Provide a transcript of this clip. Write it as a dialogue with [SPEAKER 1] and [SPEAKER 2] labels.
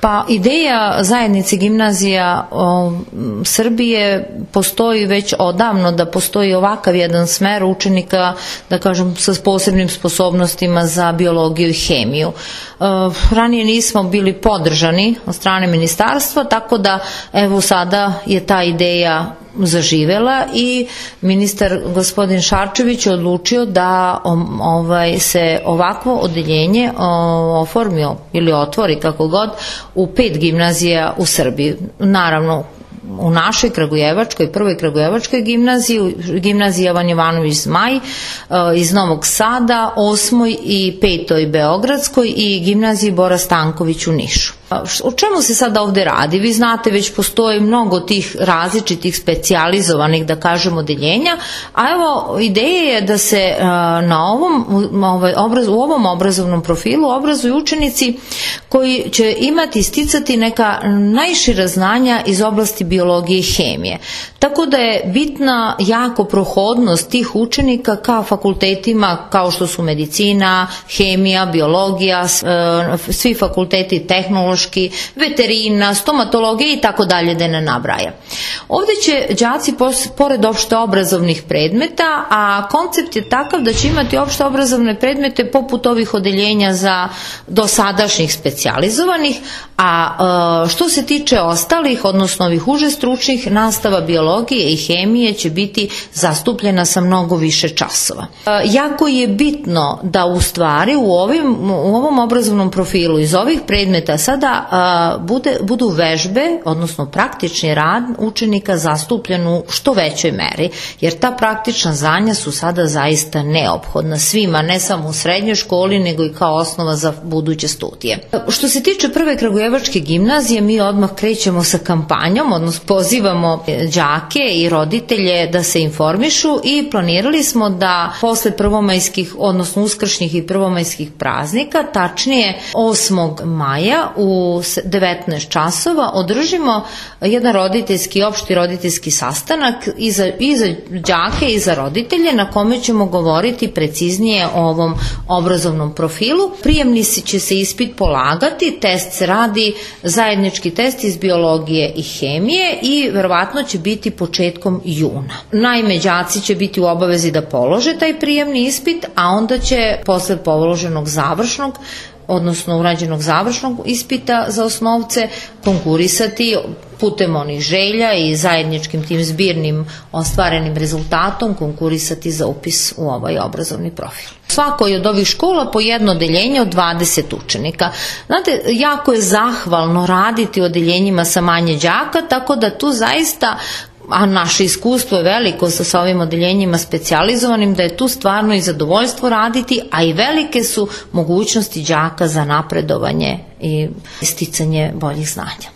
[SPEAKER 1] Pa ideja zajednice gimnazija Srbije postoji već odavno, da postoji ovakav jedan smer učenika, da kažem, sa posebnim sposobnostima za biologiju i hemiju. Ranije nismo bili podržani od strane ministarstva, tako da evo sada je ta ideja zaživela i ministar gospodin Šarčević je odlučio da se ovakvo odeljenje oformio ili otvori kako god u 5 gimnazija u Srbiji. Naravno, u našoj Kragujevačkoj, prvoj Kragujevačkoj gimnaziji, gimnaziji Jovan Jovanović Zmaj iz Novog Sada, 8. i 5. Beogradskoj i gimnaziji Bora Stanković u Nišu. O čemu se sada ovde radi? Vi znate, već postoji mnogo tih različitih specijalizovanih, da kažem, odeljenja, a evo ideja je da se u ovom obrazovnom profilu obrazuju učenici koji će imati, sticati neka najšira znanja iz oblasti biologije i hemije. Tako da je bitna jako prohodnost tih učenika ka fakultetima kao što su medicina, hemija, biologija, svi fakulteti tehnološki, veterina, stomatologija i tako dalje, da ne nabraja. Ovde će đaci pored opšte obrazovnih predmeta, a koncept je takav da će imati opšte obrazovne predmete poput ovih odeljenja za dosadašnjih specijalizovanih, a što se tiče ostalih, odnosno ovih uže stručnih, nastava biologije i hemije će biti zastupljena sa mnogo više časova. Jako je bitno da u stvari u ovom obrazovnom profilu iz ovih predmeta sada budu vežbe, odnosno praktični rad učenika zastupljen u što većoj meri, jer ta praktična znanja su sada zaista neophodna svima, ne samo u srednjoj školi, nego i kao osnova za buduće studije. Što se tiče prve Kragujevačke gimnazije, mi odmah krećemo sa kampanjom, odnosno pozivamo đake i roditelje da se informišu i planirali smo da posle prvomajskih, odnosno uskršnjih i prvomajskih praznika, tačnije 8. maja u 19 časova održimo jedan opšti roditeljski sastanak i za đake i za roditelje, na kome ćemo govoriti preciznije o ovom obrazovnom profilu. Prijemni će se ispit polagati, test se radi, zajednički test iz biologije i hemije i verovatno će biti početkom juna. Naime, đaci će biti u obavezi da polože taj prijemni ispit, a onda će posle položenog završnog, odnosno urađenog završnog ispita za osnovce, konkurisati putem onih želja i zajedničkim tim zbirnim ostvarenim rezultatom konkurisati za upis u ovaj obrazovni profil. Svakoj od ovih škola po jedno odeljenje od 20 učenika. Znate, jako je zahvalno raditi u odeljenjima sa manje đaka, tako da tu zaista, a naše iskustvo je veliko sa ovim odeljenjima specijalizovanim, da je tu stvarno i zadovoljstvo raditi, a i velike su mogućnosti đaka za napredovanje i sticanje boljih znanja.